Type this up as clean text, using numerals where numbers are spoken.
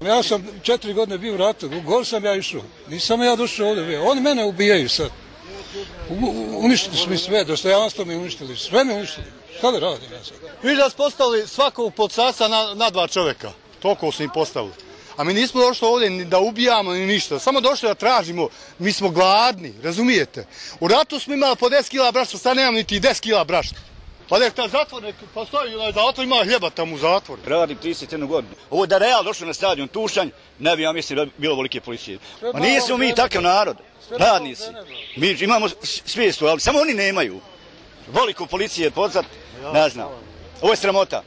Ja sam 4 godine bio u ratu, u gol sam ja išao. Nisam ja došao ovdje. Oni mene ubijaju sad. Uništili su mi sve, dostojanstvo mi uništili, sve mi uništili. Šta da radim ja sad? Vi da su postavili svakog policajca na 2 čovjeka. Toliko su im postavili. A mi nismo došli ovdje ni da ubijamo ni ništa. Samo došli da tražimo. Mi smo gladni, razumijete? U ratu smo imali po 10 kila brašna, sad nemam niti 10 kila brašna. Pa nek ta zatvor, nek postoji zatvor, ima hljeba tamo u zatvoru. Radim 31 godinu. Ovo da Real došlo na stadion Tušanj, ne bi ja mislim bilo volike policije. Ma nismo mi takav narod, radnici. Mi imamo svijestu, ali samo oni nemaju. Voliku policije pozvat, ne znam. Ovo je sramota.